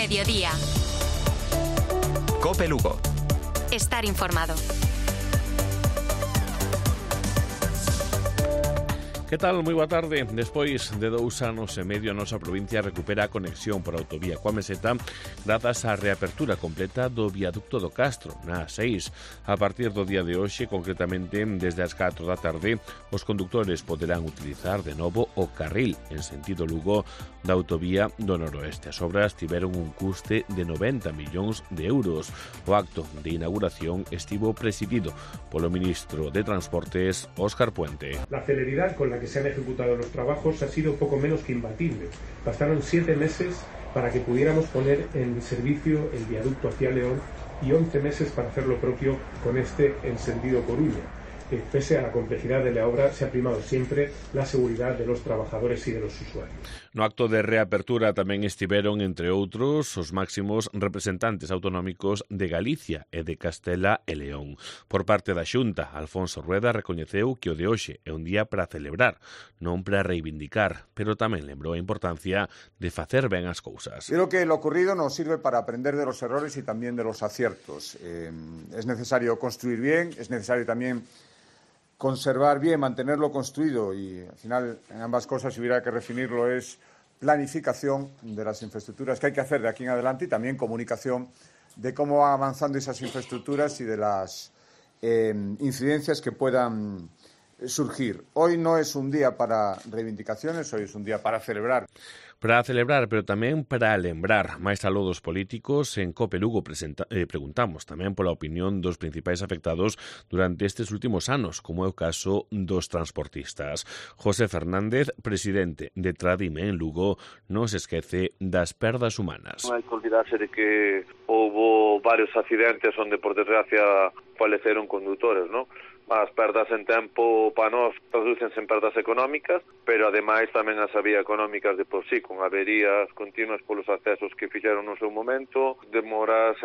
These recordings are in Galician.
Mediodía. COPE Lugo. Estar informado. Que tal? Moi boa tarde. Despois de 2 anos e medio, a nosa provincia recupera a conexión por autovía coa Meseta grazas á reapertura completa do viaducto do Castro, na A6. A partir do día de hoxe, concretamente desde as 4 da tarde, os condutores poderán utilizar de novo o carril en sentido Lugo da autovía do Noroeste. As obras tiveron un custe de 90 millóns de euros. O acto de inauguración estivo presidido polo ministro de Transportes, Óscar Puente. La celeridad con la que se han ejecutado los trabajos ha sido poco menos que imbatible. Bastaron 7 meses para que pudiéramos poner en servicio el viaducto hacia León y 11 meses para hacer lo propio con este en sentido Coruña. Pese a la complejidad de la obra, se ha primado siempre la seguridad de los trabajadores y de los usuarios. No acto de reapertura tamén estiveron, entre outros, os máximos representantes autonómicos de Galicia e de Castela e León. Por parte da Xunta, Alfonso Rueda recoñeceu que o de hoxe é un día para celebrar, non para reivindicar, pero tamén lembrou a importancia de facer ben as cousas. Creo que lo ocurrido nos sirve para aprender de los errores y también de los aciertos. Es necesario construir bien, es necesario también conservar bien, mantenerlo construido y al final en ambas cosas, si hubiera que definirlo, es planificación de las infraestructuras que hay que hacer de aquí en adelante y también comunicación de cómo van avanzando esas infraestructuras y de las incidencias que puedan surgir. Hoy no es un día para reivindicaciones, hoy es un día para celebrar. Para celebrar, pero tamén para lembrar. Máis aló dos políticos, en COPE Lugo preguntamos tamén pola opinión dos principais afectados durante estes últimos anos, como é o caso dos transportistas. José Fernández, presidente de Tradime en Lugo, non se esquece das perdas humanas. Non hai que olvidarse de que houbo varios accidentes onde, por desgracia, faleceron condutores, non? As perdas en tempo para nós tradúcense en perdas económicas, pero ademais tamén as había económicas de por sí, con averías continuas polos accesos que fixeron no seu momento, demoras,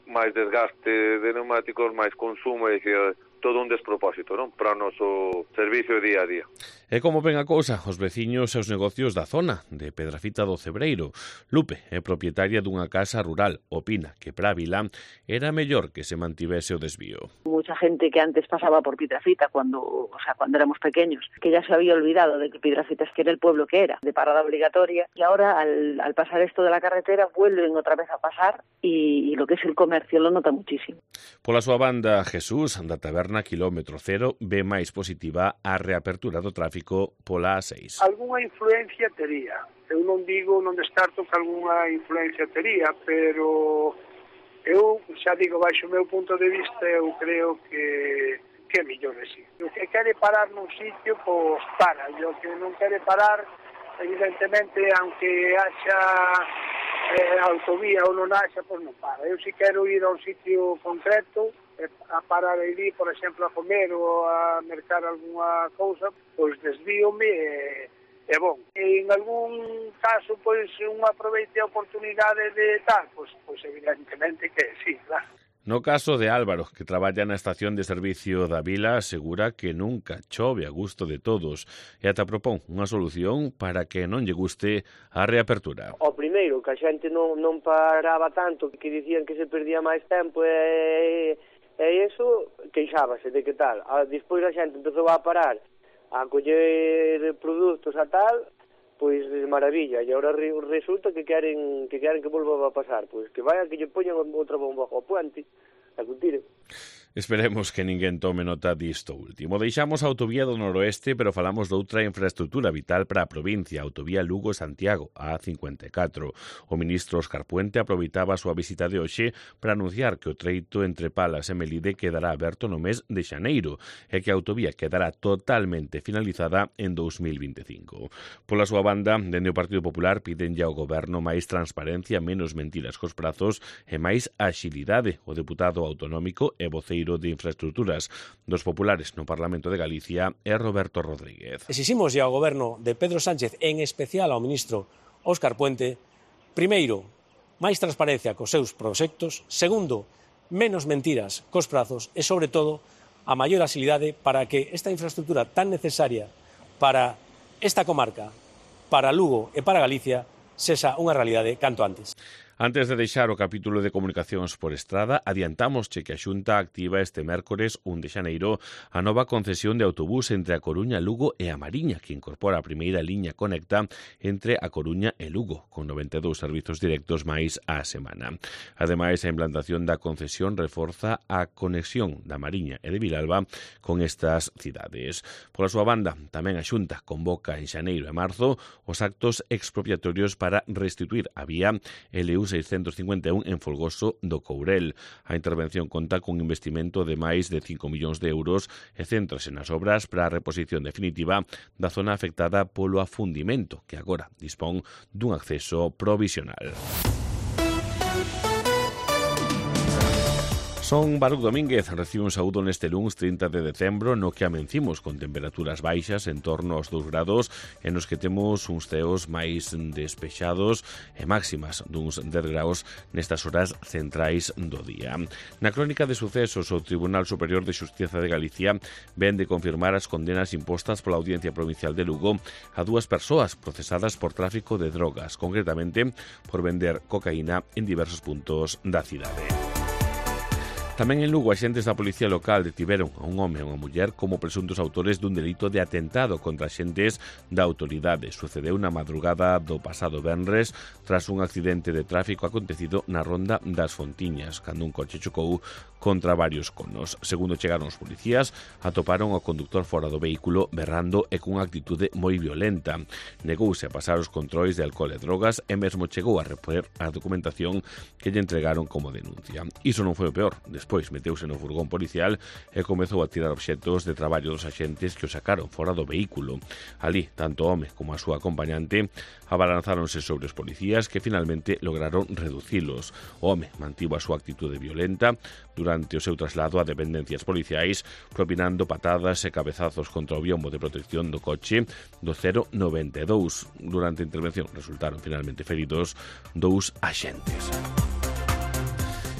máis desgaste de neumáticos, máis consumo, é dicir, todo un despropósito, non? Para o noso servicio día a día. E como ven a cousa, os veciños e os negocios da zona de Pedrafita do Cebreiro. Lupe é propietaria dunha casa rural. Opina que para a vila era mellor que se mantivese o desvío. Mucha gente que antes pasaba por Piedrafita cuando éramos pequeños, que ya se había olvidado de que Piedrafita es que era el pueblo que era, de parada obligatoria, y ahora al pasar esto de la carretera vuelven otra vez a pasar y lo que es el comercio lo nota muchísimo. Pola súa banda, Jesús, da taberna Kilómetro Cero, ve máis positiva a reapertura do tráfico pola A6. Algúnha influencia tería. Eu non descarto que algunha influencia tería, pero eu xa digo, baixo o meu punto de vista, eu creo que é mellor así. O que quere parar nun sitio, pois para. E o que non quere parar, evidentemente, aunque haxa autovía ou non haxa, pois non para. Eu si quero ir a un sitio concreto, a parar aí, por exemplo, a comer ou a mercar algunha cousa, pois desvíome e bon. E en algún caso, pois, un aproveite a oportunidade de tal, pois evidentemente que sí, claro. No caso de Álvaro, que traballa na estación de servicio da vila, asegura que nunca chove a gusto de todos e ata propón unha solución para que non lle guste a reapertura. O primeiro, que a xente non paraba tanto, que dicían que se perdía máis tempo e iso, queixábase de que tal. Despois a xente empezou a parar, a coller produtos a tal, pois de maravilla, e agora resulta que queren que volva a pasar, pois que vaya que lle poñan outra bomba ao puente, a que tire. Esperemos que ninguén tome nota disto último. Deixamos a autovía do Noroeste, pero falamos doutra infraestructura vital para a provincia, a autovía Lugo-Santiago, a A54. O ministro Óscar Puente aproveitaba a súa visita de hoxe para anunciar que o treito entre Palas e Melide quedará aberto no mes de xaneiro e que a autovía quedará totalmente finalizada en 2025. Pola súa banda, dende o Partido Popular pídenlle ao goberno máis transparencia, menos mentiras cos prazos e máis axilidade. O deputado autonómico e voceiro de Infraestructuras dos Populares no Parlamento de Galicia é Roberto Rodríguez. Exiximos ao goberno de Pedro Sánchez, en especial ao ministro Óscar Puente, primeiro, máis transparencia cos seus proxectos, segundo, menos mentiras cos prazos e, sobre todo, a maior axilidade para que esta infraestructura tan necesaria para esta comarca, para Lugo e para Galicia, sexa unha realidade canto antes. Antes de deixar o capítulo de comunicacións por estrada, adiantámosche que a Xunta activa este mércores 1 de xaneiro a nova concesión de autobús entre a Coruña, Lugo e a Mariña, que incorpora a primeira liña conecta entre a Coruña e Lugo, con 92 servizos directos máis á semana. Ademais, a implantación da concesión reforza a conexión da Mariña e de Vilalba con estas cidades. Pola súa banda, tamén a Xunta convoca en xaneiro e marzo os actos expropiatorios para restituir a vía LU 651 en Folgoso do Courel. A intervención conta cun investimento de máis de 5 millóns de euros e céntrase nas obras para a reposición definitiva da zona afectada polo afundimento, que agora dispón dun acceso provisional. Son Baruch Domínguez, recibe un saúdo neste luns 30 de decembro, no que amencimos con temperaturas baixas en torno aos 2 grados, e nos que temos uns ceos máis despexados e máximas duns 10 graus nestas horas centrais do día. Na crónica de sucesos, o Tribunal Superior de Xustiza de Galicia ven de confirmar as condenas impostas pola Audiencia Provincial de Lugo a 2 persoas procesadas por tráfico de drogas, concretamente por vender cocaína en diversos puntos da cidade. Tamén en Lugo, axentes da Policía Local detiveron a un home e unha muller como presuntos autores dun delito de atentado contra axentes da autoridade. Sucedeu na madrugada do pasado venres tras un accidente de tráfico acontecido na ronda das Fontiñas, cando un coche chocou contra varios conos. Segundo chegaron os policías, atoparon ao conductor fora do vehículo berrando e cunha actitude moi violenta. Negouse a pasar os controis de alcohol e drogas e mesmo chegou a repoñer a documentación que lle entregaron como denuncia. Iso non foi o peor. Despois meteuse no furgón policial e comezou a tirar obxectos de traballo dos axentes que o sacaron fora do vehículo. Ali, tanto o home como a súa acompañante abalanzáronse sobre os policías que finalmente lograron reducilos. O home mantivo a súa actitude violenta durante o seu traslado a dependencias policiais, propinando patadas e cabezazos contra o biombo de protección do coche do 092. Durante a intervención resultaron finalmente feridos 2 axentes.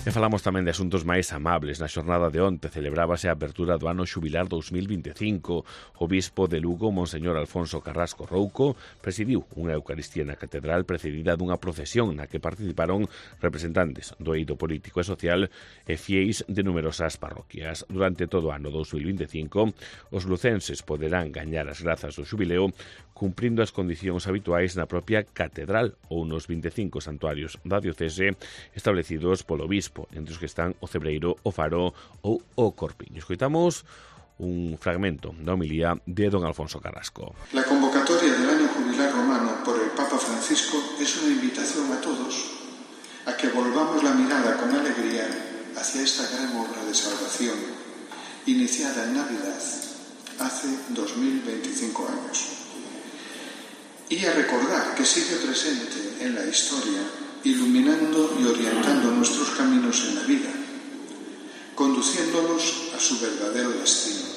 E falamos tamén de asuntos máis amables. Na xornada de onte celebrábase a apertura do ano xubilar 2025. O bispo de Lugo, Monseñor Alfonso Carrasco Rouco, presidiu unha eucaristía na catedral precedida dunha procesión na que participaron representantes do eido político e social e fieis de numerosas parroquias. Durante todo o ano 2025, os lucenses poderán gañar as grazas do xubileo cumprindo as condicións habituais na propia catedral ou nos 25 santuarios da diocese establecidos polo bispo, entre os que están o Cebreiro, o Faro ou o Corpiño. Escoitamos un fragmento da homilía de don Alfonso Carrasco. La convocatoria del año jubilar romano por el Papa Francisco es una invitación a todos a que volvamos la mirada con alegría hacia esta gran obra de salvación iniciada en Navidad hace 2025 años. Y a recordar que sigue presente en la historia, iluminando y orientando nuestros caminos en la vida, conduciéndolos a su verdadero destino,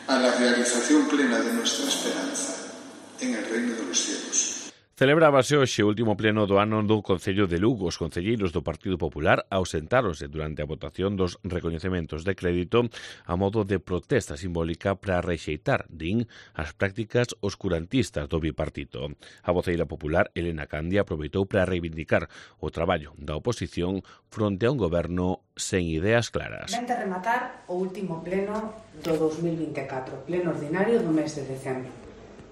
a la realización plena de nuestra esperanza en el reino de los cielos. Celebrábase hoxe o último pleno do ano do Concello de Lugo. Os concelleiros do Partido Popular ausentáronse durante a votación dos recoñecementos de crédito a modo de protesta simbólica para rexeitar, din, as prácticas oscurantistas do bipartito. A voceira popular, Elena Candia, aproveitou para reivindicar o traballo da oposición fronte a un goberno sen ideas claras. Vente a rematar o último pleno do 2024, pleno ordinario do mes de decembro.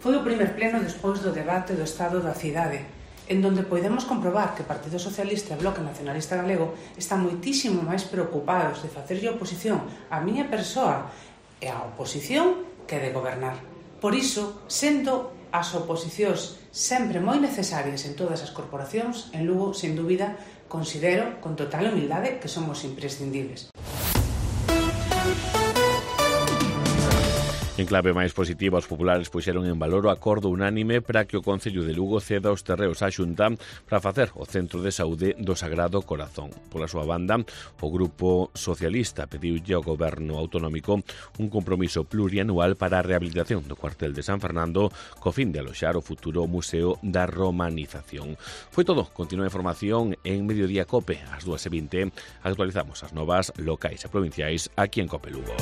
Foi o primer pleno despois do debate do Estado da cidade, en donde podemos comprobar que o Partido Socialista e o Bloque Nacionalista Galego están moitísimo máis preocupados de facerlle oposición á miña persoa e á oposición que de gobernar. Por iso, sendo as oposicións sempre moi necesarias en todas as corporacións, en Lugo, sen dúbida, considero con total humildade que somos imprescindibles. En clave máis positiva, os populares puxeron en valor o acordo unánime para que o Concello de Lugo ceda os terreos á Xunta para facer o Centro de Saúde do Sagrado Corazón. Pola súa banda, o Grupo Socialista pediulle ao Goberno Autonómico un compromiso plurianual para a rehabilitación do cuartel de San Fernando co fin de aloxar o futuro Museo da Romanización. Foi todo. Continúa a información en Mediodía Cope. Ás 2:20 actualizamos as novas locais e provinciais aquí en Cope Lugo.